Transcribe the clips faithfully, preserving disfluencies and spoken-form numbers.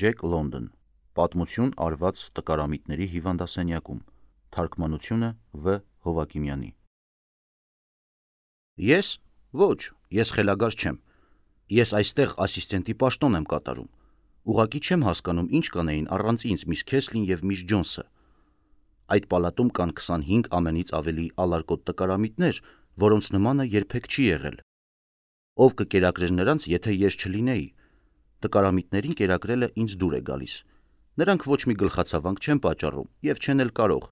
Ջեք Լոնդոն, Պատմություն արված տկարամիտների հիվանդասենյակում, թարգմանությունը Վ. Հովակիմյանի։ Ես? Ոչ, ես խելագար չեմ։ Ես այստեղ ասիստենտի պաշտոն եմ կատարում։ Ուղղակի չեմ հասկանում, ինչ կանեին առանց ինձ միս Քեսլին և միս Ջոնսը։ Այդ պալատում կան քսանհինգ ամենից ավելի ալարկոտ տկարամիտներ, որոնց նմանը երբեք չի եղել։ Ով կկերակրեր նրանց, եթե ես չլինեի։ Տկարամիտներին կերակրելը ինձ դուր է գալիս։ Նրանք ոչ մի գլխացավանք չեն պատճառում և չեն էլ կարող։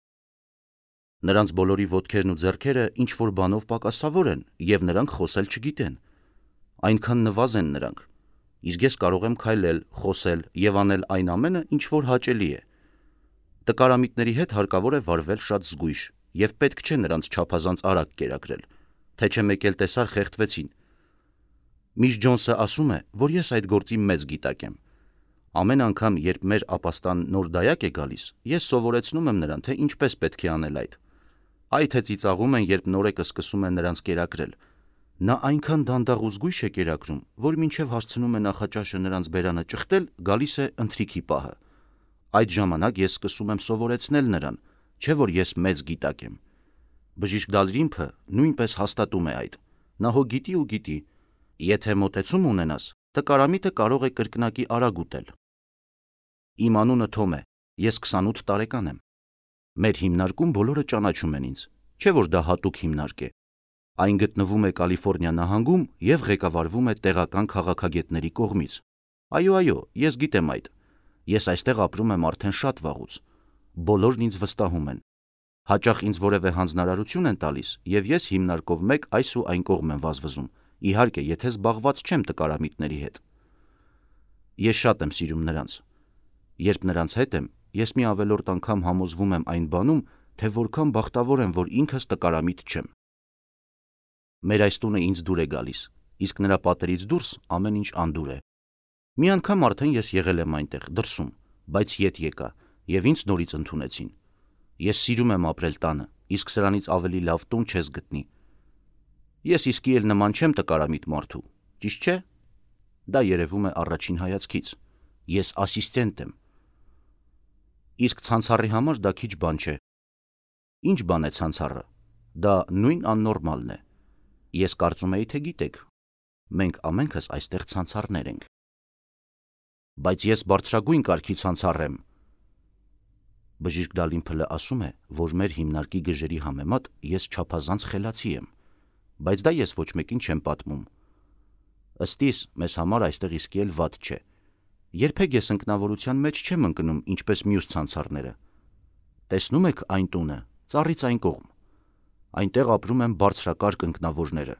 Նրանց բոլորի ոտքերն ու ձեռքերը ինչ-որ բանով պակասավոր են, և նրանք խոսել չգիտեն։ Այնքան նվազ են նրանք։ Իսկ ես կարող եմ քայլել, խոսել և անել այն ամենը, ինչ որ հաճելի է։ Տկարամիտների հետ հարկավոր է վարվել շատ զգույշ, և պետք չէ նրանց չափազանց արագ կերակրել, թե չէ մեկ էլ տեսար խեղդվեցին։ Միս Ջոնսը ասում է, որ ես այդ գործի մեծ գիտակ եմ։ Ամեն անգամ, երբ մեր ապաստան նոր դայակ է գալիս, ես սովորեցնում եմ նրան, թե ինչպես պետք է անել այդ։ Այ թե ծիծաղում են, երբ նորեկը սկսում է նրանց կերակրել։ Նա այնքան դանդաղ ու զգույշ է կերակրում, որ մինչև հասցնում է նախաճաշը նրանց բերանը ճխտել, գալիս է ընթրիքի պահը։ Այդ ժամանակ ես սկսում եմ սովորեցնել նրան, չէ որ ես մեծ գիտակ եմ։ Բժիշկ Դալրիմփը նույնպես հաստատում է այդ։ Նա հո գիտի ու գիտի։ Եթե մոտեցում ունենաս, տկարամիտը կարող է կրկնակի արագ ուտել։ Իմ անունը Թոմ է, ես քսանութ տարեկան եմ։ Մեր հիմնարկում բոլորը ճանաչում են ինձ, չէ որ դա հատուկ հիմնարկ է։ Այն գտնվում է Կալիֆոռնիա նահանգում և ղեկավարվում է տեղական քաղաքագետների կողմից։ Այո, այո, ես գիտեմ այդ։ Ես այստեղ ապրում եմ արդեն շատ վաղուց։ Բոլորն ինձ վստահում են։ Հաճախ ինձ որևէ հանձնարարություն են տալիս, և ես հիմնարկով մեկ այս ու այն կողմ եմ վազվզում, իհարկե, եթե զբաղված չեմ տկարամիտների հետ։ Ես շատ եմ սիրում նրանց։ Երբ նրանց հետ եմ, ես մի ավելորդ անգամ համոզվում եմ այն բանում, թե որքան բախտավոր եմ, որ ինքս տկարամիտ չեմ։ Մեր այս տունը ինձ դուր է գալիս, իսկ նրա պատերից դուրս ամեն ինչ անդուր է։ Մի անգամ արդեն ես եղել եմ այնտեղ, դրսում, բայց ետ եկա, և ինձ նորից ընդունեցին։ Ես սիրում եմ ապրել տանը, իսկ սրանից ավելի լավ տուն չես գտնի։ Ես իսկի էլ նման չեմ տկարամիտ մարդու, ճիշտ չէ։ Դա երևում է առաջին հայացքից։ Ես ասիստենտ եմ։ Իսկ ցանցառի համար դա քիչ բան չէ։ Ինչ բան է ցանցառը։ Դա նույն աննորմալն է։ Ես կարծում էի, թե գիտեք։ Մենք ամենքս այստեղ ցանցառներ ենք։ Բայց ես բարձրագույն կարգի ցանցառ եմ։ Բժիշկ Դալիմփլը ասում է, որ մեր հիմնարկի գժերի համեմատ ես չափազանց խելացի եմ, բայց դա ես ոչ մեկին չեմ պատմում։ Ըստ իս, մեզ համար այստեղ իսկի էլ վատ չէ։ Երբեք ես ընկնավորության մեջ չեմ ընկնում, ինչպես մյուս ցանցառները։ Տեսնում եք այն տունը, ծառից այն կողմ։ Այնտեղ ապրում են բարձրակարգ ընկնավորները։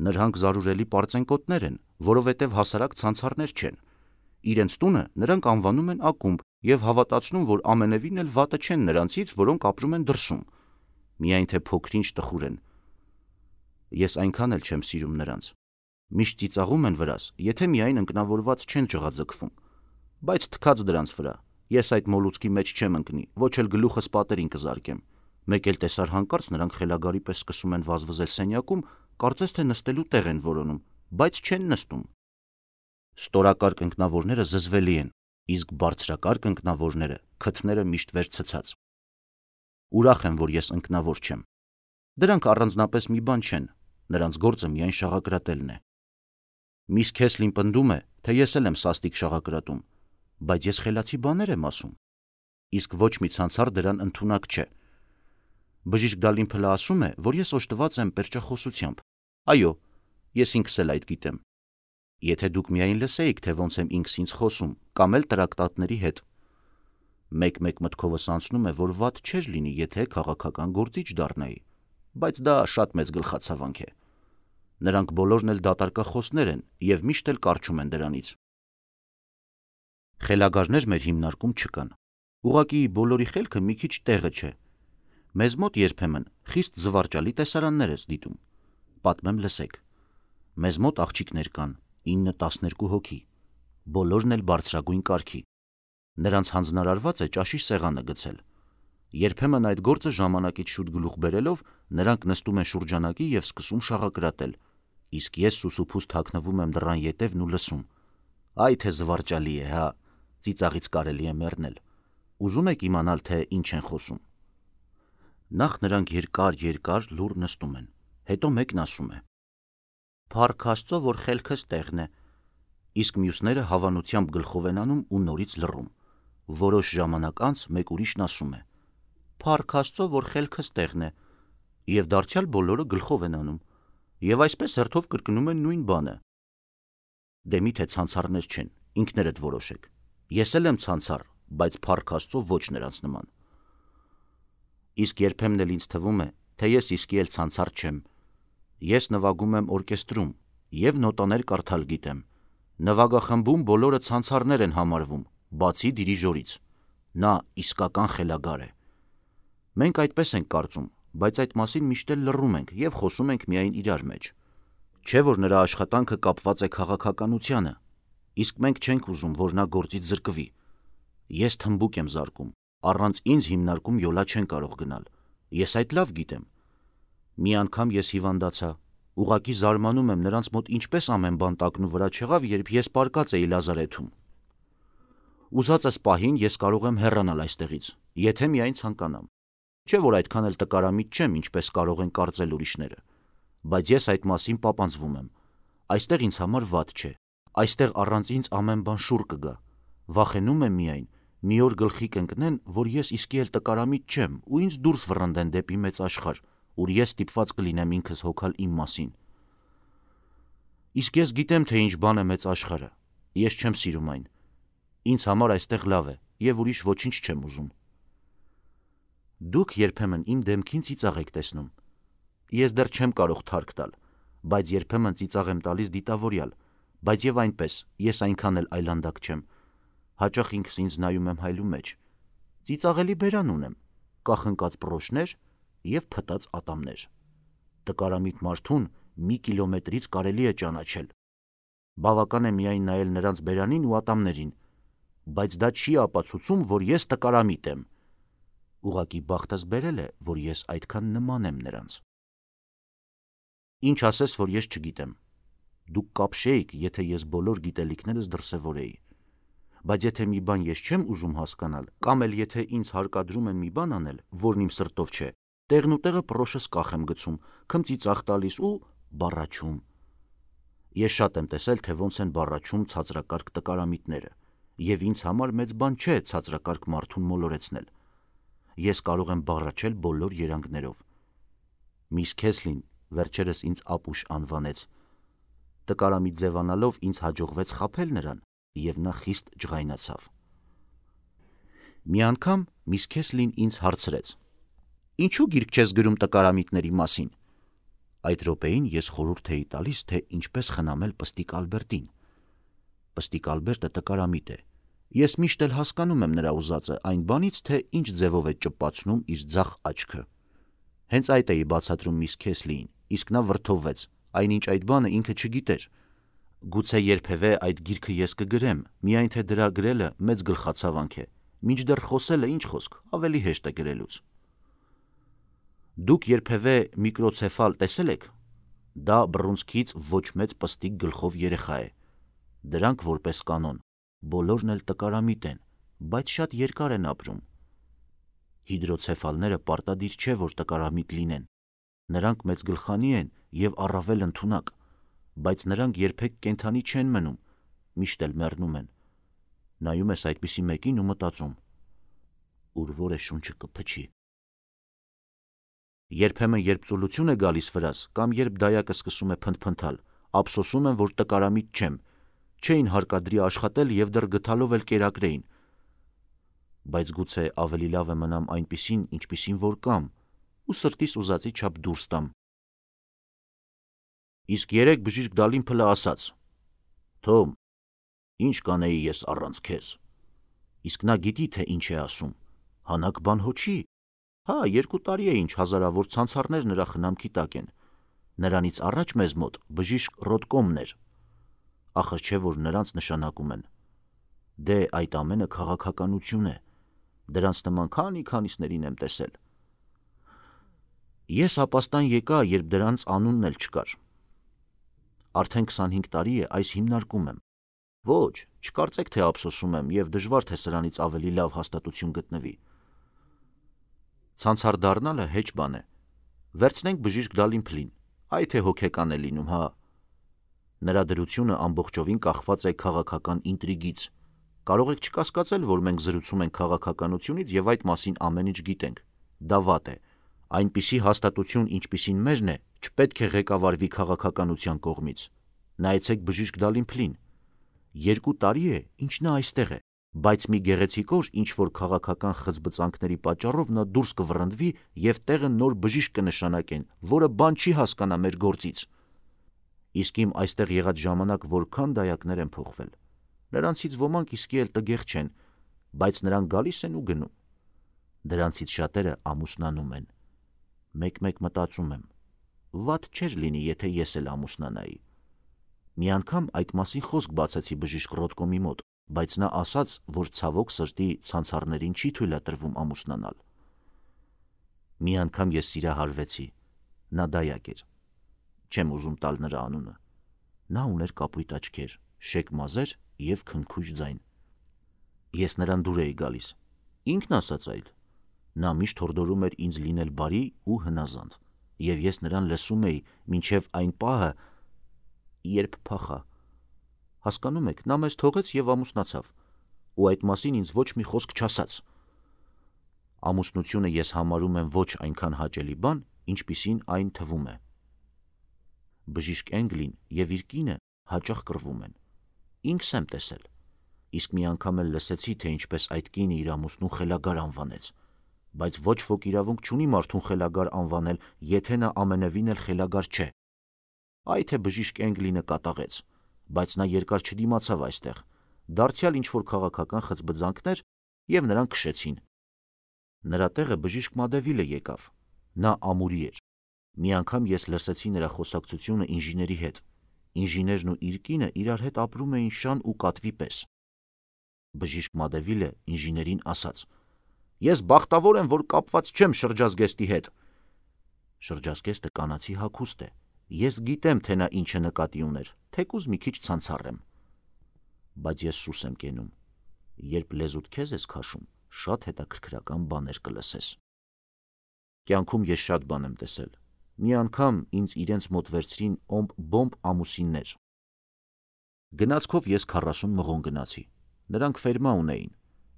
Նրանք զարուրելի պարծենկոտներ են, որովհետև հասարակ ցանցառներ չեն։ Իրենց տունը նրանք անվանում են ակումբ և հավատացնում, որ ամենևին էլ վատը չեն նրանցից, որոնք ապրում են դրսում։ Միայն թե փոքր-ինչ տխուր են։ Ես այնքան էլ չեմ սիրում նրանց։ Միշտ ծիծաղում են վրաս, եթե միայն ընկնավորված չեն ջղաձգվում։ Բայց թքած դրանց վրա, ես այդ մոլուցքի մեջ չեմ ընկնի, ոչ էլ գլուխս պատերին կզարկեմ։ Մեկ էլ տեսար հանկարծ նրանք խելագարի պես սկսում են վազվզել սենյակում, կարծես թե նստելու տեղ են որոնում, բայց չեն նստում։ Ստորակարգ ընկնավորները զզվելի են, իսկ բարձրակարգ ընկնավորները քթները միշտ վեր ցցած։ Ուրախ եմ, որ ես ընկնավոր չեմ։ Դրանք առանձնապես մի բան չեն, նրանց գործը միայն շաղակրատելն է։ Միս Քեսլին պնդում է, թե ես էլ եմ սաստիկ շաղակրատում, բայց ես խելացի բաներ եմ ասում։ Իսկ ոչ մի ցանցառ դրան ընդունակ չէ։ Բժիշկ Դալիմփլը ասում է, որ ես օժտված եմ պերճախոսությամբ։ Այո, ես ինքս էլ այդ գիտեմ։ Եթե դուք միայն լսեիք, թե ոնց եմ ինքս ինձ խոսում, կամ էլ տրակտատների հետ։ Մեկ-մեկ մտքովս անցնում է, որ վատ չէր լինի, եթե քաղաքական գործիչ դառնայի, բայց դա շատ մեծ գլխացավանք է։ Նրանք բոլորն էլ դատարկախոսներ են և միշտ էլ կառչում են դրանից։ Խելագարներ մեր հիմնարկում չկան։ Ուղղակի բոլորի խելքը մի քիչ տեղը չէ։ Մեզ մոտ երբեմն խիստ զվարճալի տեսարաններ ես դիտում։ Պատմեմ, լսեք։ Մեզ մոտ աղջիկներ կան, ինը-տասներկու հոգի, բոլորն էլ բարձրագույն կարգի։ Նրանց հանձնարարված է ճաշի սեղանը գցել։ Երբեմն այդ գործը ժամանակից շուտ գլուխ բերելով, նրանք նստում են շուրջանակի և սկսում շաղակրատել, իսկ ես սուսուփուս թաքնվում եմ դռան ետևն ու լսում։ Այ թե զվարճալի է, հա։ Ծիծաղից կարելի է մեռնել։ Ուզում եք իմանալ, թե ինչ են խոսում։ Նախ նրանք երկար-երկար լուռ նստում են, հետո մեկն ասում է. «Փառք Աստծո, որ խելքս տեղն է», իսկ մյուսները հավանությամբ գլխով են անում ու նորից լռում։ Որոշ ժամանակ անց մեկ ուրիշն ասում է. «Փառք Աստծո, որ խելքս տեղն է», եւ դարձյալ բոլորը գլխով են անում, եւ այսպես հերթով կրկնում են նույն բանը։ Դե միթե ցանցառներ չեն, ինքներդ որոշեք։ Ես էլ եմ ցանցառ, բայց փառք Աստծո ոչ նրանց նման։ Իսկ երբեմն էլ ինձ թվում է, թե ես իսկի էլ ցանցառ չեմ։ Ես նվագում եմ օրկեստրում եւ նոտաներ կարդալ գիտեմ։ Նվագախմբում բոլորը ցանցառներ են համարվում, բացի դիրիժորից։ Նա իսկական խելագար է։ Մենք այդպես ենք կարծում, բայց այդ մասին միշտ էլ լռում ենք եւ խոսում ենք միայն իրար մեջ։ Չէ՞ որ նրա աշխատանքը կապված է քաղաքականությանը, իսկ մենք չենք ուզում, որ նա գործից զրկվի։ Ես թմբուկ եմ զարկում, առանց ինձ հիմնարկում յոլա չեն կարող գնալ։ Ես այդ լավ գիտեմ։ Մի անգամ ես հիվանդացա, ուղղակի զարմանում եմ նրանց մոտ ինչպես ամեն բան տակնու վրա չեղավ, երբ ես պարկած էի լազարեթում։ Ուզածս պահին ես կարող եմ հեռանալ այստեղից, եթե միայն ցանկանամ։ Չէ՞ որ այդքան էլ տկարամիտ չեմ, ինչպես կարող են կարծել ուրիշները, բայց ես այդ մասին պապանձվում եմ։ Այստեղ ինձ համար վատ չէ, այստեղ առանց ինձ ամեն բան շուռ կգա։ Վախենում եմ միայն, մի օր գլխի կընկնեն, որ ես իսկի էլ տկարամիտ չեմ ու ինձ դուրս վռնդեն դեպի մեծ աշխարհ, ուր ես ստիպված կլինեմ ինքս հոգալ իմ մասին։ Իսկ ես գիտեմ, թե ինչ բան է մեծ աշխարհը, ես չեմ սիրում այն։ Ինձ համար այստեղ լավ է եւ ուրիշ ոչինչ չեմ ուզում։ Դուք երբեմն իմ դեմքին ծիծաղ եք տեսնում։ Ես դեռ չեմ կարող թարք տալ, բայց երբեմն ծիծաղ եմ տալիս դիտավորյալ, բայց եւ այնպես ես այնքան էլ այլանդակ չեմ։ Հաճախ ինքս ինձ նայում եմ հայլու մեջ։ Ծիծաղելի բերան ունեմ, կախնկած բրոշներ եւ փտած ատամներ։ Տկարամիտ մարդուն մի կիլոմետրից կարելի է ճանաչել։ Բավական է միայն նայել նրանց բերանին ու ատամներին, բայց դա չի ապացուցում, որ ես տկարամիտ եմ։ Ուղղակի բախտս բերել է, որ ես այդքան նման եմ նրանց։ Ինչ ասես, որ ես չգիտեմ։ Դուք կապշեիք, եթե ես բոլոր գիտելիքներս դրսևորեի։ Բայց եթե մի բան ես չեմ ուզում հասկանալ, կամ էլ եթե ինձ հարկադրում են մի բան անել, որն իմ սրտով չէ, տեղն ու տեղը պրոշս կախ եմ գցում, քմծիծաղ տալիս ու բառաչում։ Ես շատ եմ տեսել, թե ոնց են բառաչում ցածրակարգ տկարամիտները, եւ ինձ համար մեծ բան չէ ցածրակարգ մարդուն մոլորեցնել։ Ես կարող եմ բառաչել բոլոր երանգներով։ Միս Քեսլին վերջերս ինձ ապուշ անվանեց։ Տկարամիտ ձևանալով ինձ հաջողվեց խաբել նրան, եւ նա խիստ ջղայնացավ։ Մի անգամ միս Քեսլին ինձ հարցրեց. «Ինչու գիրք չես գրում տկարամիտների մասին»։ Այդ րոպեին ես խորհուրդ էի տալիս, թե ինչպես խնամել Պստիկ Ալբերտին։ Պստիկ Ալբերտը տկարամիտ է։ Ես միշտ էլ հասկանում եմ նրա ուզածը այն բանից, թե ինչ ձևով է ճպացնում իր ձախ աչքը։ Հենց այդ էի բացատրում միս Քեսլիին, իսկ նա վրդովվեց, այնինչ այդ բանը ինքը չգիտեր։ Գուցե երբևէ այդ գիրքը ես կգրեմ, միայն թե դրա գրելը մեծ գլխացավանք է, մինչդեռ խոսելը ինչ խոսք, ավելի հեշտ է գրելուց։ Դուք երբևէ միկրոցեֆալ տեսել եք։ Դա բռունցքից ոչ մեծ պստիկ գլխով երեխա է։ Դրանք որպես կանոն բոլորն էլ տկարամիտ են, բայց շատ երկար են ապրում։ Հիդրոցեֆալները պարտադիր չէ, որ տկարամիտ լինեն։ Նրանք մեծ գլխանի են եւ առավել ընդունակ, բայց նրանք երբեք կենդանի չեն մնում, միշտ էլ մեռնում են։ Նայում ես այդպիսի մեկին ու մտածում. ուր որ է շունչը կփչի։ Երբեմն երբ ծուլություն է գալիս վրաս, կամ երբ դայակը սկսում է փնթփնթալ, ափսոսում եմ, որ տկարամիտ չեմ, չէին հարկադրի աշխատել եւ դեռ գթալով էլ կերակրեին։ Բայց գուցե ավելի լավ է մնամ այնպիսին, ինչպիսին որ կամ, ու սրտիս ուզածի չափ դուրս տամ։ Իսկ երեք բժիշկ Դալիմփլը ասաց. «Թոմ, ինչ կանեի ես առանց քեզ»։ Իսկ նա գիտի, թե ինչ է ասում։ Հանակ բան հո չի։ Հա, երկու տարի է ինչ հազարավոր ցանցառներ նրա խնամքի տակ են։ Նրանից առաջ մեզ մոտ բժիշկ Ռոդկոմն էր։ Ախր չէ որ նրանց նշանակում են։ Դե այդ ամենը քաղաքականություն է։ Դրանց նման քանի քանիսներին եմ տեսել։ Ես ապաստան եկա, երբ դրանց անունն էլ չկար։ Արդեն քսանհինգ տարի է այս հիմնարկում եմ։ Ոչ, չկարծեք, թե ափսոսում եմ եւ դժվար թե սրանից ավելի լավ հաստատություն գտնվի։ Ցանցար դառնալը հեչ բան է։ Վերցնենք բժիշկ Դալիմփլին, այ թե հոգեկան է լինում, հա։ Նրա դրությունը ամբողջովին կախված է քաղաքական ինտրիգից։ Կարող եք չկասկածել, որ մենք զրուցում ենք քաղաքականությունից եւ այդ մասին ամեն ինչ գիտենք։ Դա վատ է։ Այնպիսի հաստատություն, ինչպիսին մերն է, չպետք է ղեկավարվի քաղաքականության կողմից։ Նայեցեք բժիշկ Դալիմփլին։ Երկու տարի է, ինչ նա այստեղ է, բայց մի գեղեցիկ օր ինչ-որ քաղաքական խծբծանքների պատճառով նա դուրս կվռնդվի եւ տեղը նոր բժիշկ կնշանակեն, որը բան չի հասկանա մեր գործից։ Իսկ իմ այստեղ եղած ժամանակ որքան դայակներ են փոխվել։ Նրանցից ոմանք իսկի էլ տգեղ չեն, բայց նրանք գալիս են ու գնում։ Դրանցից շատերը ամուսնանում են։ Մեկ-մեկ մտածում եմ, վատ չէր լինի, եթե ես էլ ամուսնանայի։ Մի անգամ այդ մասին խոսք բացեցի բժիշկ Ռոտկոմի մոտ, բայց նա ասաց, որ ցավոք սրտի ցանցառներին չի թույլատրվում ամուսնանալ։ Մի անգամ ես սիրահարվեցի, նա դայակ էր։ Չեմ ուզում տալ նրա անունը։ Նա ուներ կապույտ աչքեր, շեկ մազեր եւ քնքուշ ձայն։ Ես նրան դուր էի գալիս։ Ինքն ասաց այլ։ Նա միշտ հորդորում էր ինձ լինել բարի ու հնազանդ, եւ ես նրան լսում էի մինչեւ այն պահը, երբ փախա։ Հասկանում եք, նա մեզ թողեց եւ ամուսնացավ, ու այդ մասին ինձ ոչ մի խոսք չասաց։ Ամուսնությունը ես համարում եմ ոչ այնքան հաճելի բան, ինչպիսին այն թվում է։ Բժիշկ Էնգլին եւ իր կինը հաճախ կռվում են։ Ինքս եմ տեսել։ Իսկ մի անգամ էլ լսեցի, թե ինչպես այդ կինը իր ամուսնուն խելագար անվանեց, բայց ոչ ոք իրավունք չունի մարդուն խելագար անվանել, եթե նա ամենևին էլ խելագար չէ։ Այ թե բժիշկ Էնգլինը կատաղեց, բայց նա երկար չդիմացավ այստեղ։ Դարձյալ ինչ-որ քաղաքական խծբծանքներ եւ նրան քշեցին։ Նրա տեղը բժիշկ Մադևիլը եկավ։ Նա ամուրի էր։ Մի անգամ ես լսեցի նրա խոսակցությունը ինժեների հետ։ Ինժեներն ու իր կինը իրար հետ ապրում էին շան ու կատվի պես։ Բժիշկ Մադևիլը ինժեներին ասաց. «Ես բախտավոր եմ, որ կապված չեմ շրջազգեստի հետ»։ Շրջազգեստը կանացի հագուստ է։ Ես գիտեմ, թե նա ինչը նկատի ուներ, թեկուզ մի քիչ ցանցառ եմ։ Բայց ես սուս եմ կենում։ Երբ լեզուդ քեզ ես քաշում, շատ հետաքրքրական բաներ կլսես։ Կյանքում ես շատ բան եմ տեսել։ Մի անգամ ինձ իրենց մոտ վերցրին օմբ-բոմբ ամուսիններ։ Գնացքով ես քառասուն մղոն գնացի։ Նրանք ֆերմա ունեին։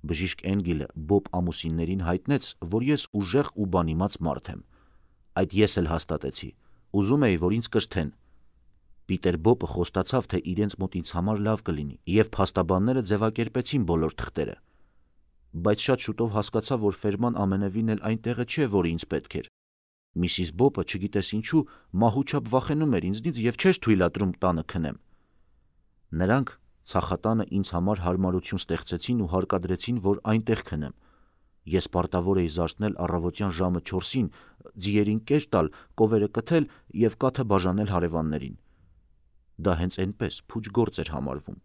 Բժիշկ Էնգիլը Բոբ ամուսիններին հայտնեց, որ ես ուժեղ ու բանիմաց մարդ եմ։ Այդ ես էլ հաստատեցի։ Ուզում էի, որ ինձ կրթեն։ Պիտեր Բոբը խոստացավ, թե իրենց մոտ ինձ համար լավ կլինի, եւ փաստաբանները ձևակերպեցին բոլոր թղթերը։ Բայց շատ շուտով հասկացա, որ ֆերման ամենևին էլ այն տեղը չէ, որը ինձ պետք էր։ Միսիս Բոբը, չգիտես ինչու, մահուչապ վախենում էր ինձնից եւ չէր թույլատրում տանը քնեմ։ Նրանք ցախատանը ինձ համար հարմարություն ստեղծեցին ու հարկադրեցին, որ այնտեղ քնեմ։ Ես պարտավոր էի զարթնել առավոտյան ժամը չորսին, ձիերին կեր տալ, կովերը կթել եւ կաթը բաժանել հարևաններին։ Դա հենց այնպես փուչ գործ էր համարվում։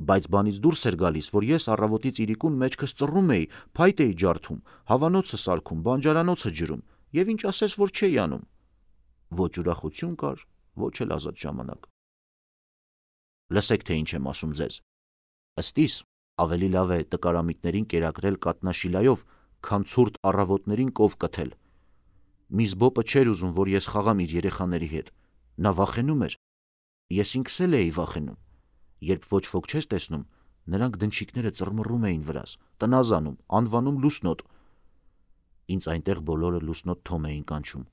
Բայց բանից դուրս էր գալիս, որ ես առավոտից իրիկուն մեջքս ծռում էի, փայտ էի ջարդում, հավանոցը սարքում, բանջարանոցը ջրում, եւ ինչ ասես, որ չէի անում։ Ոչ ուրախություն կար, ոչ էլ ազատ ժամանակ։ Լսեք, թե ինչ եմ ասում ձեզ։ Ըստիս ավելի լավ է տկարամիտներին կերակրել կատնաշիլայով, քան ցուրտ առավոտներին կով կթել։ Միս Բոբը չէր ուզում, որ ես խաղամ իր երեխաների հետ։ Նա վախենում էր։ Ես ինքս էլ էի վախենում։ Երբ ոչ ոք չէր տեսնում, նրանք դնչիկները ծռմռում էին վրաս, տնազանում, անվանում լուսնոտ։ Ինձ այնտեղ բոլորը լուսնոտ Թոմ էին կանչում,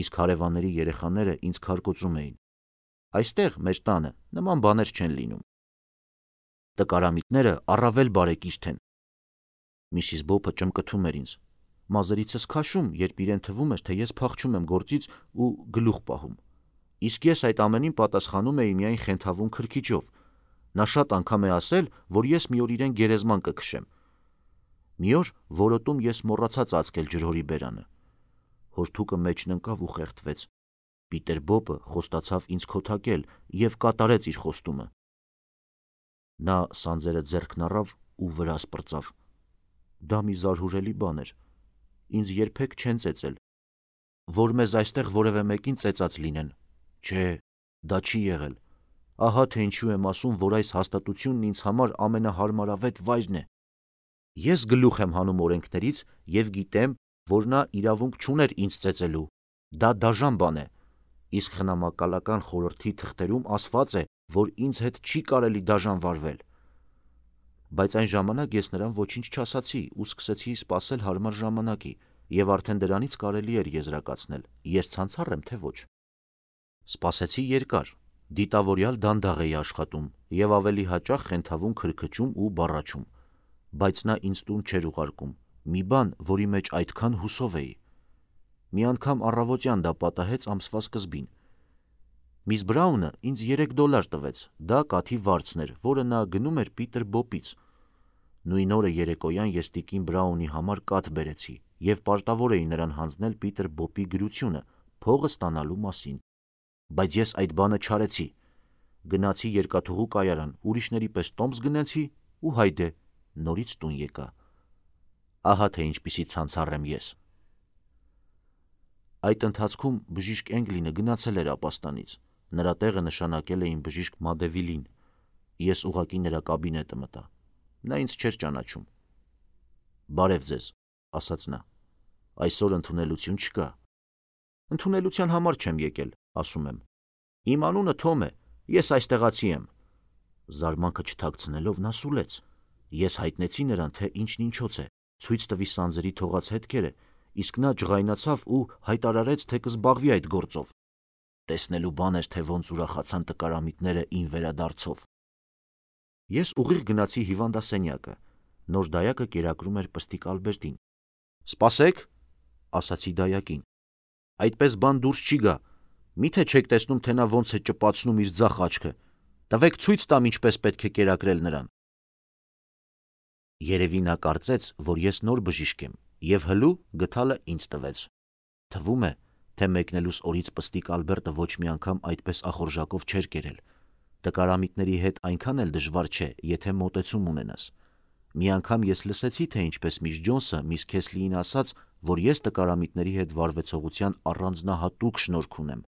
իսկ հարևանների երեխաները ինձ քարկոծում էին։ Այստեղ մեր տանը նման բաներ չեն լինում։ Տկարամիտները առավել բարեկիրթ են։ Միսիս Բոբը ճմկթում էր ինձ։ Մազերիցս քաշում, երբ իրեն թվում էր, թե ես փախչում եմ գործից ու գլուխ պահում։ Իսկ ես այդ ամենին պատասխանում էի միայն խենթավուն քրքիջով։ Նա շատ անգամ է ասել, որ ես մի օր իրեն գերեզման կքշեմ։ Մի օր որոտում ես մոռացա ծածկել ջրհորի բերանը։ Հորթուկը մեջն ընկավ ու խեղդվեց։ Պիտեր Բոբը խոստացավ ինձ քոթակել եւ կատարեց իր խոստումը։ Նա սանձերը ձեռքն առավ ու վրաս պրծավ։ Դա մի զարհուրելի բան էր։ Ինձ երբեք չեն ծեծել։ Որ մեզ այստեղ որևէ մեկին ծեծած լինեն։ Չէ, դա չի եղել։ Ահա թե ինչու եմ ասում, որ այս հաստատությունն ինձ համար ամենահարմարավետ վայրն է։ Ես գլուխ եմ հանում օրենքներից և գիտեմ, որ նա իրավունք չուներ ինձ ծեծելու։ Դա դաժան բան է։ Իսկ խնամակալական խորհրդի թղթերում ասված է, որ ինձ հետ չի կարելի դաժան վարվել։ Բայց այն ժամանակ ես նրան ոչինչ չասացի ու սկսեցի սպասել հարմար ժամանակի, և արդեն դրանից կարելի էր եզրակացնել՝ ես ցանցառ եմ, թե ոչ։ Սպասեցի երկար, դիտավորյալ դանդաղ էի աշխատում և ավելի հաճախ խենթավուն քրքչում ու բառաչում, բայց նա ինձ տուն չէր ուղարկում, մի բան, որի մեջ այդքան հուսով էի։ Մի անգամ առավոտյան դա պատահեց ամսվա սկզբին։ Միս Բրաունը ինձ երեք դոլար տվեց, դա կաթի վարձն էր, որը նա գնում էր Պիտեր Բոպից։ Նույն օրը երեկոյան ես տիկին Բրաունի համար կաթ բերեցի և պարտավոր էի նրան հանձնել Պիտեր Բոպի գրությունը փողը ստանալու մասին։ Բայց ես այդ բանը չարեցի։ Գնացի երկաթուղու կայարան, ուրիշների պես տոմս գնեցի ու հայդե, նորից տուն եկա։ Ահա թե ինչպիսի ցանցառ եմ ես։ Այդ ընթացքում բժիշկ Էնգլինը գնացել էր ապաստանից։ Նրա տեղը նշանակել էին բժիշկ Մադևիլին։ Ես ուղղակի նրա կաբինետը մտա։ Նա ինձ չէր ճանաչում։ «Բարև ձեզ», ասաց նա։ «Այսօր ընդունելություն չկա»։ «Ընդունելության համար չեմ եկել», ասում եմ։ «Իմ անունը Թոմ է, ես այստեղացի եմ»։ Զարմանքը չթաքցնելով նա սուլեց։ Ես հայտնեցի նրան, թե ինչն ինչոց է, ցույց տվի սանձրի թողած հետքերը, իսկ նա ջղայնացավ ու հայտարարեց, թե կզբաղվի այդ գործով։ Տեսնելու բան էր, թե ոնց ուրախացան տկարամիտները իմ վերադարձով։ Ես ուղիղ գնացի հիվանդասենյակը։ Նոր դայակը կերակրում էր պստիկ Ալբերտին։ «Սպասեք», ասացի դայակին։ «Այդպես բան դուրս չի գա։ Մի՞թե չեք տեսնում, թե նա ոնց է ճպացնում իր ձախ աչքը։ Տվեք ցույց տամ ինչպես պետք է կերակրել նրան»։ Երևի նա կարծեց, որ ես նոր բժիշկ եմ, և հլու գդալը ինձ տվեց։ Թվում է, թե մեկնելուս օրից պստիկ Ալբերտը ոչ մի անգամ այդպես ախորժակով չէր կերել։ Տկարամիտների հետ այնքան էլ դժվար չէ, եթե մոտեցում ունենաս։ Մի անգամ ես լսեցի, թե ինչպես միս Ջոնսը միս Քեսլիին ասաց, որ ես տկարամիտների հետ վարվեցողության առանձնահատուկ շնորհք ունեմ։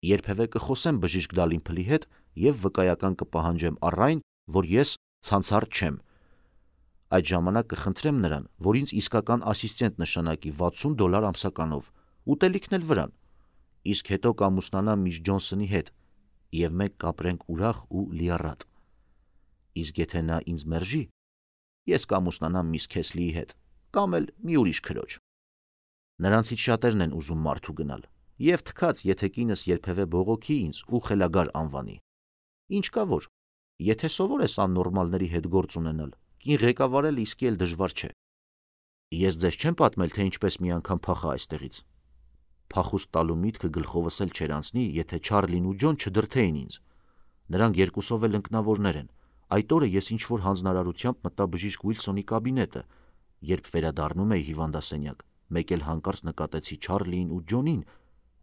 Երբևէ կխոսեմ բժիշկ Դալիմփլի հետ և վկայական կպահանջեմ առ այն, որ ես ցանցառ չեմ։ Այդ ժամանակ կխնդրեմ նրան, որ ինձ իսկական ասիստենտ նշանակի վաթսուն դոլար ամսականով, ուտելիքն էլ վրան, իսկ հետո կամուսնանամ միս Ջոնսոնի հետ, և մենք կապրենք ուրախ ու լիառատ։ Իսկ եթե նա ինձ մերժի, ես կամուսնանամ միս Քեսլիի հետ, կամ էլ մի ուրիշ քրոջ։ Նրանցից շատերն են ուզում մարդու գնալ, և թքած, եթե կինս երբևէ բողոքի ինձ ու խելագար անվանի։ Ինչ կա որ, եթե սովոր ես աննորմալների հետ գործ ունենալ, կին ղեկավարելը իսկի էլ դժվար չէ։ Ես ձեզ չեմ պատմել, թե ինչպես մի անգամ փախա այստեղից։ Փախուստ տալու միտքը գլխովս էլ չէր անցնի, եթե Չարլին ու Ջոն չդրդեին ինձ։ Նրանք երկուսով էլ ընկնավորներ են։ Այդ օրը ես ինչ-որ հանձնարարությամբ մտա բժիշկ Ուիլսոնի կաբինետը։ Երբ վերադառնում էի հիվանդասենյակ, մեկ էլ հանկարծ նկատեցի Չարլիին ու Ջոնին։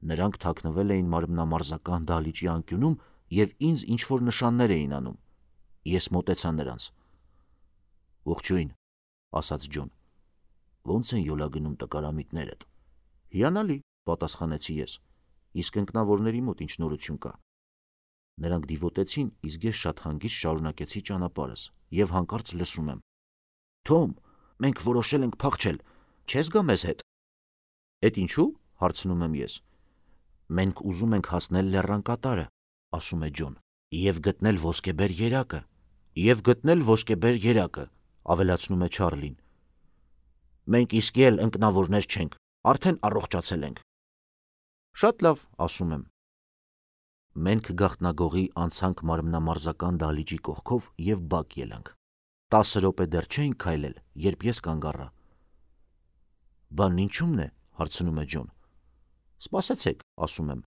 Նրանք թաքնվել էին մարմնամարզական դահլիճի անկյունում և ինձ ինչ-որ նշաններ էին անում։ Ես մոտեցա նրանց։ «Ողջույն», ասաց Ջոն։ «Ոնց են յոլա գնում տկարամիտներդ»։ «Հիանալի», պատասխանեցի ես։ «Իսկ ընկնավորների մոտ ինչ նորություն կա»։ Նրանք դիվոտեցին, իսկ ես շատ հանգիստ շարունակեցի ճանապարհս և հանկարծ լսում եմ. «Թոմ, մենք որոշել ենք փախչել, չե՞ս գա մեզ հետ»։ «Էդ ինչու՞», հարցնում եմ ես։ «Մենք ուզում ենք հասնել լեռան կատարը», ասում է Ջոն, «և գտնել ոսկեբեր երակը»։ «Եվ գտնել ոսկեբեր երակը», ավելացնում է Չարլին։ «Մենք իսկի էլ ընկնավորներ չենք, արդեն առողջացել ենք»։ «Շատ լավ», ասում եմ։ Մենք գաղտնագողի անցանք մարմնամարզական դահլիճի կողքով և բակ ելանք։ Տասը րոպե դեռ չէինք քայլել, երբ ես կանգ առա։ «Բանն ինչու՞մն է», հարցնում է Ջոն։ «Սպասեցեք», ասում եմ։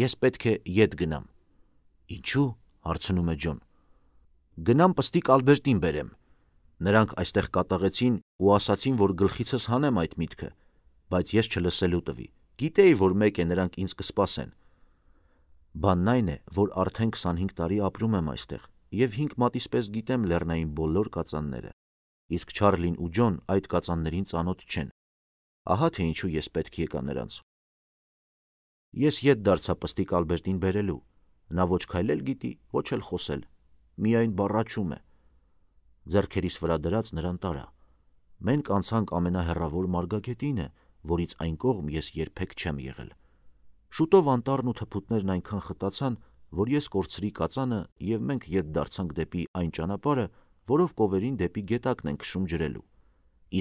«Ես պետք է ետ գնամ»։ «Ինչու՞», հարցնում է Ջոն։ «Գնամ պստիկ Ալբերտին բերեմ։ Նրանք այստեղ կատաղեցին ու ասացին, որ գլխիցս հանեմ այդ միտքը, բայց ես չլսելու տվի, գիտեի, որ մեկ է նրանք ինձ կսպասեն։ Բանն այն է, որ արդեն քսանհինգ տարի ապրում եմ այստեղ և հինգ մատից պես գիտեմ լեռնային բոլոր կածանները, իսկ Չարլին ու Ջոն այդ կածաններին ծանոթ չեն։ Ահա թե ինչու ես պետք եկա նրանց։ Ես ետ դարձա պստիկ Ալբերտին բերելու։ Նա ոչ քայլել գիտի, ոչ էլ խոսել, միայն բառաչում է։ Ձեռքերիս վրա դրած նրան տարա։ Մենք անցանք ամենահեռավոր մարգագետինը, որից այն կողմ ես երբեք չեմ եղել։ Շուտով անտառն ու թփուտներն այնքան խտացան, որ ես կորցրի կածանը և մենք ետ դարձանք դեպի այն ճանապարհը, որով կովերին դեպի գետակն ենք քշում ջրելու։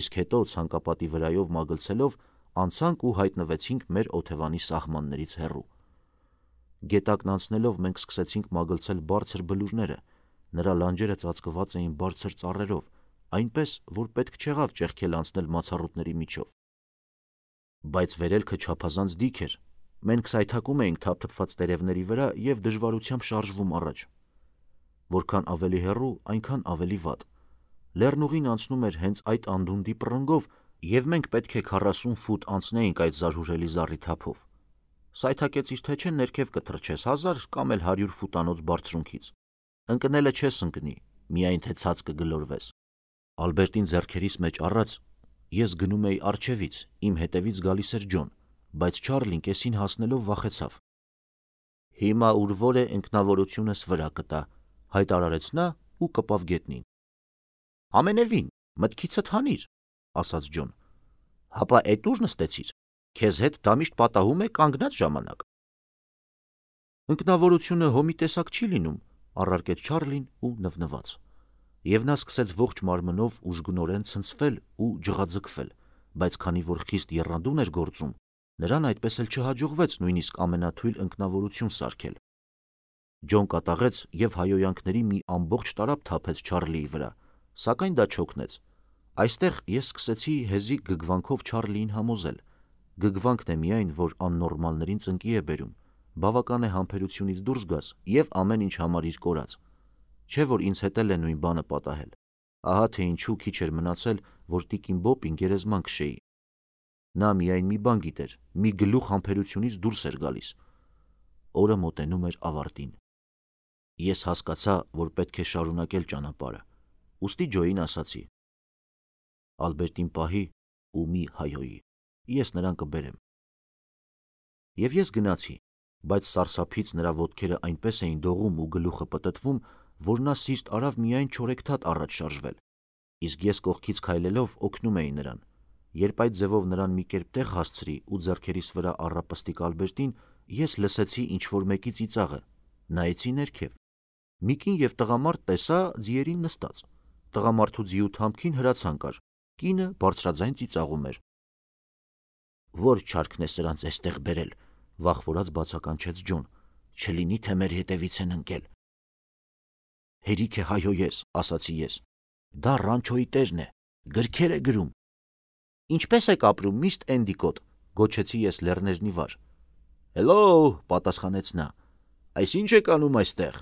Իսկ հետո ցանկապատի վրայով մագլցելով անցանք ու հայտնվեցինք մեր օթևանի սահմաններից հեռու։ Գետակն անցնելով մենք սկսեցինք մագլցել բարձր բլուրները, նրա լանջերը ծածկված էին բարձր ծառերով, այնպես, որ պետք չեղավ ճեղքել անցնել մացառուտների միջով։ Բայց վերելքը չափազանց դիք էր, մենք սայթաքում էինք թափթփված տերևների վրա և դժվարությամբ շարժվում առաջ։ Որքան ավելի հեռու, այնքան ավելի վատ։ Լեռնուղին անցնում էր հենց այդ անդունդի պռնգով, և մենք պետք է քառասուն ֆուտ անցնեինք այդ զարհուրելի զառիթափով։ Սայթաքեցիր թե չէ ներքև կթռչես հազար կամ էլ հարյուր ֆուտանոց բարձրունքից։ Ընկնելը չես ընկնի, միայն թե ցած կգլորվես։ Ալբերտին ձեռքերիս մեջ առած ես գնում էի առջևից, իմ հետևից գալիս էր Ջոն, բայց Չարլին կեսին հասնելով վախեցավ։ Հիմա ուր որ է ինքնավորությունս վրա կտա, հայտարարեց նա ու կպավ գետնին։ Ամենևին, մտքիցդ հանիր, ասաց Ջոն։ Հապա էդ ուր նստեցիր, քեզ հետ դա միշտ պատահում է կանգնած ժամանակ։ Ինքնավորությունը հոմի տեսակ չի լինում, առարկեց Չարլին ու նվնված։ Եվ նա սկսեց ողջ մարմնով ուժգնորեն ցնցվել ու ջղաձգվել, բայց քանի որ խիստ եռանդուն էր գործում, նրան այդպես էլ չհաջողվեց նույնիսկ ամենաթույլ ինքնավորություն սարքել։ Ջոն կատաղեց և հայոյանքների մի ամբողջ տարափ թափեց Չարլիի վրա, սակայն դա չօգնեց։ Այստեղ ես սկսեցի հեզիկ գգվանքով Չարլիին համոզել։ Գգվանքն է միայն, որ աննորմալներին ծնկի է բերում, բավական է համբերությունից դուրս գաս և ամեն ինչ համարիր կորած։ Չէ որ ինձ հետ էլ է նույն բանը պատահել։ Ահա թե ինչու քիչ էր մնացել, որ տիկին Բոբին գերեզման քշեի։ Նա միայն մի բան գիտեր, մի գլուխ համբերությունից դուրս էր գալիս։ Օրը մոտենում էր ավարտին։ Ես հասկացա, որ պետք է շարունակել ճանապարհը, ուստի Ջոյին ասացի. Ալբերտին պահի ու մի հայհոյի, ես նրան կբերեմ։ Եվ ես գնացի, բայց սարսափից նրա ոտքերը այնպես էին դողում ու գլուխը պտտվում, որ նա սիրտ արավ միայն չորեքթաթ առաջ շարժվել, իսկ ես կողքից քայլելով օգնում էի նրան։ Երբ այդ ձևով նրան մի կերպ տեղ հասցրի ու ձեռքերիս վրա առա պստիկ Ալբերտին, ես լսեցի ինչ-որ մեկի ծիծաղը, նայեցի ներքև։ Մի կին և տղամարդ տեսա ձիերին նստած։ Տղամարդու ձիու թամքին հրացան կար, կինը բարձրաձայն ծիծաղում էր։ Որ չարքն է սրանց էստեղ բերել, վախվորած բացականչեց Ջոն, չլինի թե մեր հետևից են ընկել։ Հերիք է հայհոյես, ասացի ես։ Դա ռանչոյի տերն է, գրքեր է գրում։ Ինչպես եք ապրում, միստր Էնդիկոտ, գոչեցի ես լեռներն ի վար։ Հելո, պատասխանեց նա։ Այս ինչ եք անում այստեղ։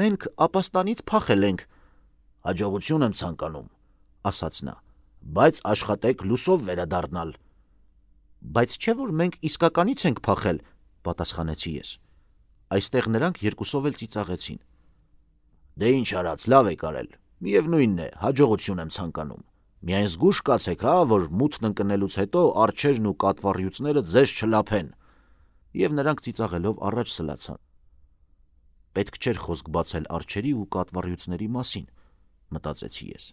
Մենք ապաստանից փախել ենք։ Հաջողություն եմ ցանկանում, ասաց նա, բայց աշխատեք լուսով վերադառնալ։ Բայց չէ որ մենք իսկականից ենք փախել, պատասխանեցի ես։ Այստեղ նրանք երկուսով էլ ծիծաղեցին։ Դե ինչ արած, լավ եք արել, միևնույնն է, հաջողություն եմ ցանկանում։ Միայն զգույշ կացեք, հա, որ մութն ընկնելուց հետո արջերն ու կատվառյուծները ձեզ չլափեն։ Եվ նրանք ծիծաղելով առաջ սլացան։ Պետք չէր խոսք բացել արջերի ու կատվառյուծների մասին, մտածեցի ես։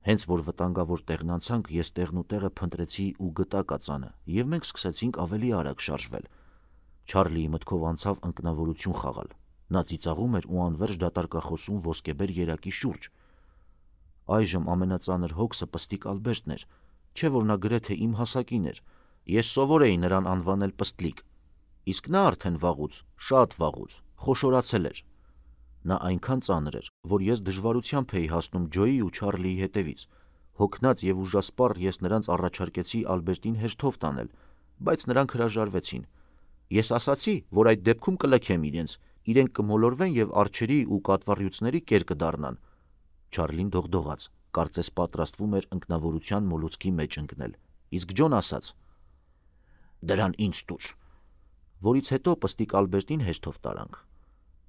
Հենց որ վտանգավոր տեղն անցանք, ես տեղն ու տեղը փնտրեցի ու գտա կածանը, և մենք սկսեցինք ավելի արագ շարժվել։ Չարլիի մտքով անցավ ընկնավորություն խաղալ։ Նա ծիծաղում էր ու անվերջ դատարկախոսում ոսկեբեր երակի շուրջ։ Այժմ ամենածանր հոգսը պստիկ Ալբերտն էր, չէ որ նա գրեթե իմ հասակին էր։ Ես սովոր էի նրան անվանել Պստլիկ, իսկ նա արդեն վաղուց, շատ վաղուց, խոշորացել էր։ Նա այնքան ծանր էր, որ ես դժվարությամբ էի հասնում Ջոյի ու Չարլիի հետևից։ Հոգնած և ուժասպառ ես նրանց առաջարկեցի Ալբերտին հերթով տանել, բայց նրանք հրաժարվեցին։ Ես ասացի, որ այդ դեպքում կլքեմ իրենց, իրենք կմոլորվեն և արջերի ու կատվառյուծների կեր կդառնան։ Չարլին դողդողաց, կարծես պատրաստվում էր ընկնավորության մոլուցքի մեջ ընկնել, իսկ Ջոն ասաց. Դրան ինձ տուր։ Որից հետո պստիկ Ալբերտին հերթով տարանք։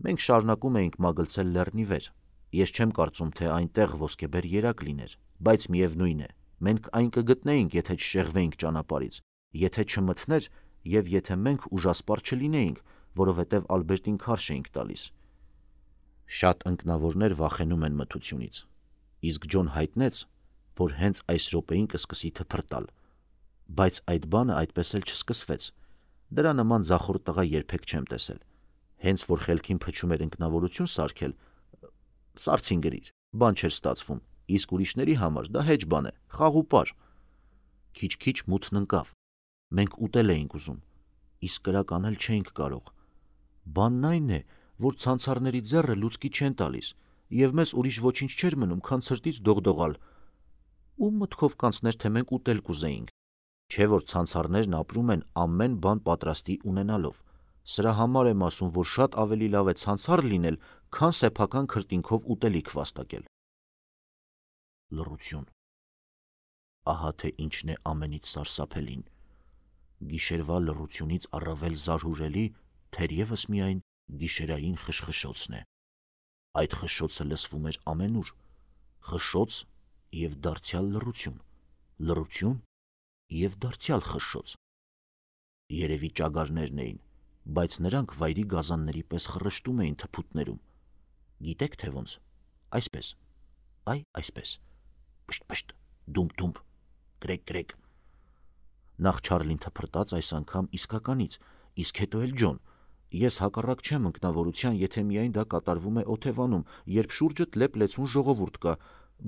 Մենք շարունակում էինք մագլցել լեռնի վեր։ Ես չեմ կարծում, թե այնտեղ ոսկեբեր երակ լիներ, բայց միևնույն է, մենք այն կգտնեինք, եթե չշեղվեինք ճանապարհից, եթե չմթներ և եթե մենք ուժասպառ չլինեինք, որովհետև Ալբերտին քարշ էինք տալիս։ Շատ ընկնավորներ վախենում են մթությունից, իսկ Ջոն հայտնեց, որ հենց այս րոպեին կսկսի թփրտալ, բայց այդ բանը այդպես էլ չսկսվեց։ Դրա նման ձախորդ տղա երբեք չեմ տեսել։ Հենց որ խելքին փչում էր ընկնավորություն սարքել, սարցին գրիր, բան չէր ստացվում, իսկ ուրիշների համար դա հեչ բան է, խաղ ու պար։ Քիչ-քիչ մութն ընկավ։ Մենք ուտել էինք ուզում, իսկ կրակ անել չէինք կարող։ Բանն այն է, որ ցանցարների ձեռը լուցկի չեն տալիս, եւ մեզ ուրիշ ոչինչ չէր մնում, քան ցրտից դողդողալ։ Ում մտքով կանցներ, թե մենք ուտել կուզեինք։ Չէ որ ցանցարներն ապրում են ամեն բան պատրաստի ունենալով։ Սրա համար եմ ասում, որ շատ ավելի լավ է ցանցար լինել, քան սեփական քրտինքով ուտելիք վաստակել։ Լռություն։ Ահա թե ինչն է ամենից սարսափելին։ Գիշերվա լռությունից առավել զարհուրելի թերևս միայն գիշերային խշխշոցն է։ Այդ խշշոցը լսվում էր ամենուր։ Խշշոց և դարձյալ լռություն, լռություն և դարձյալ խշշոց։ Երևի ճագարներն էին, բայց նրանք վայրի գազանների պես խռշտում էին թփուտներում։ Գիտեք թե ոնց։ Այսպես, այ այսպես, պշտ-պշտ, դումբ-դումբ, գրեկ-գրեկ։ Նախ Չարլին թփրտաց այս անգամ իսկականից, իսկ հետո էլ Ջոն։ Ես հակառակ չեմ ընկնավորության, եթե միայն դա կատարվում է օթևանում, երբ շուրջդ լեփ-լեցուն ժողովուրդ կա,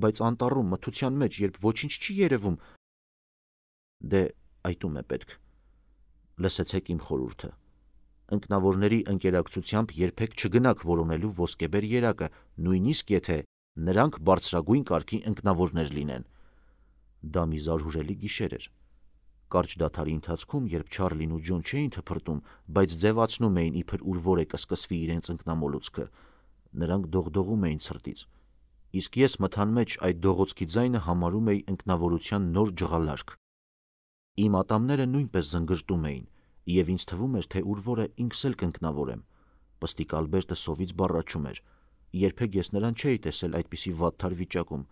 բայց անտառում մթության մեջ, երբ ոչինչ չի երևում, դե այդում է պետք։ Լսեցեք իմ խորհուրդը։ Ընկնավորների ընկերակցությամբ երբեք չգնաք որոնելու ոսկեբեր երակը, նույնիսկ եթե նրանք բարձրագույն կարգի ընկնավորներ լինեն։ Դա մի զարհուրելի գիշեր էր։ Կարճ դադարի ընթացքում, երբ Չարլին ու Ջոն չէին թփրտում, բայց ձևացնում էին, իբր ուր որ է կսկսվի իրենց ընկնամոլուցքը, նրանք դողդողում էին ցրտից, իսկ ես մթան մեջ այդ դողոցքի ձայնը համարում էի ընկնավորության նոր ջղալարկ։ Իմ ատամները նույնպես զնգրտում էին, և ինձ թվում էր, թե ուր որ է ինքս էլ կընկնավորեմ։ Պստիկ Ալբերտը սովից բառաչում էր։ Երբեք ես նրան չէի տեսել այդպիսի վատթար վիճակում։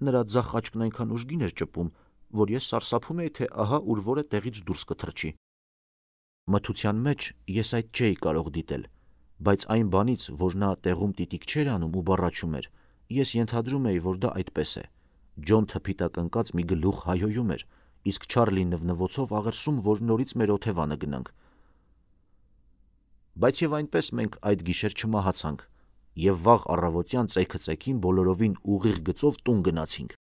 Նրա ձախ աչքն այնքան ուժգին էր ճպում, որ ես սարսափում էի, թե ահա ուր որ է տեղից դուրս կթռչի։ Մթության մեջ ես այդ չէի կարող դիտել, բայց այն բանից, որ նա տեղում տիտիկ չէր անում ու բառաչում էր, ես ենթադրում էի, որ դա այդպես է։ Ջոն թփի տակ ընկած մի գլուխ հայհոյում էր, իսկ Չարլին նվնվոցով աղերսում, որ նորից մեր օթևանը գնանք։ Բայց եւ այնպես մենք այդ գիշեր չմահացանք, եւ վաղ առավոտյան ծեքը-ծեքին բոլորովին ուղիղ գծով տուն գնացինք։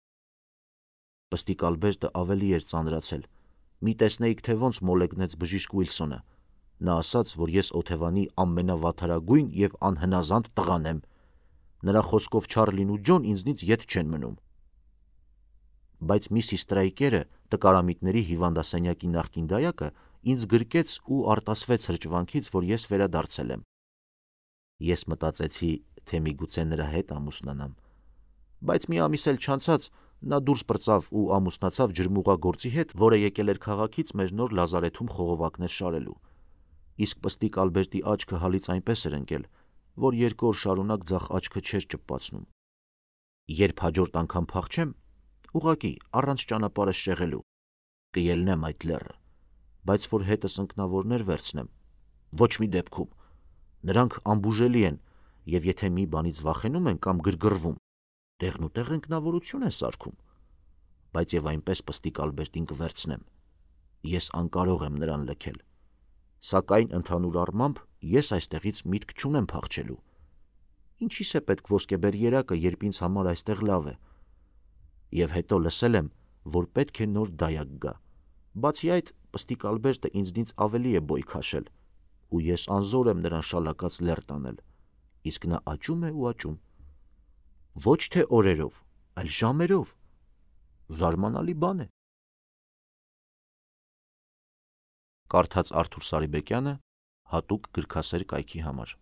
Պստիկ Ալբերտը ավելի էր ծանրացել։ Մի տեսնեիք, թե ոնց մոլեգնեց բժիշկ Ուիլսոնը։ Նա ասաց, որ ես օթևանի ամենավատթարագույն եւ անհնազանդ տղան եմ։ Նրա խոսքով Չարլին ու Ջոն ինձնից ետ չեն մնում։ Բայց միսիս Տրայկերը, տկարամիտների հիվանդասենյակի նախկին դայակը, ինձ գրկեց ու արտասվեց հրճվանքից, որ ես վերադարձել եմ։ Ես մտածեցի, թե միգուցե նրա հետ ամուսնանամ։ Բայց մի ամիս էլ չանցած նա դուրս պրծավ ու ամուսնացավ ջրմուղագործի հետ, որը եկել էր քաղաքից մեր նոր լազարեթում խողովակներ շարելու։ Իսկ պստիկ Ալբերտի աչքը հալից այնպես էր ընկել, որ երկու օր շարունակ ձախ աչքը չէր ճպացնում։ Երբ հաջորդ անգամ փախչեմ, ուղղակի առանց ճանապարհը շեղելու, կելնեմ այդ լեռը, բայց որ հետս ընկնավորներ վերցնեմ, ոչ մի դեպքում։ Նրանք անբուժելի են, եւ եթե մի բանից վախենում են կամ գրգռվում, տեղնուտեղ ընկնավորություն են սարքում, բայց եւ այնպես պստիկ Ալբերտին կվերցնեմ։ Ես անկարող եմ նրան լքել։ Սակայն ընդհանուր առմամբ ես այստեղից միտք չունեմ փախչելու։ Ինչի՞ս է պետք ոսկեբեր երակը, երբ ինձ համար այստեղ լավ է։ Եվ հետո լսել եմ, որ պետք է նոր դայակ գա։ Բացի այդ, պստիկ Ալբերտը ինձնից ավելի է բոյ քաշել, ու ես անզոր եմ նրան շալակած լեռ տանել, իսկ նա աճում է ու աճում։ Ոչ թե օրերով, այլ ժամերով։ Զարմանալի բան է։ Կարդաց Արթուր Սարիբեկյանը հատուկ գրքասեր կայքի համար։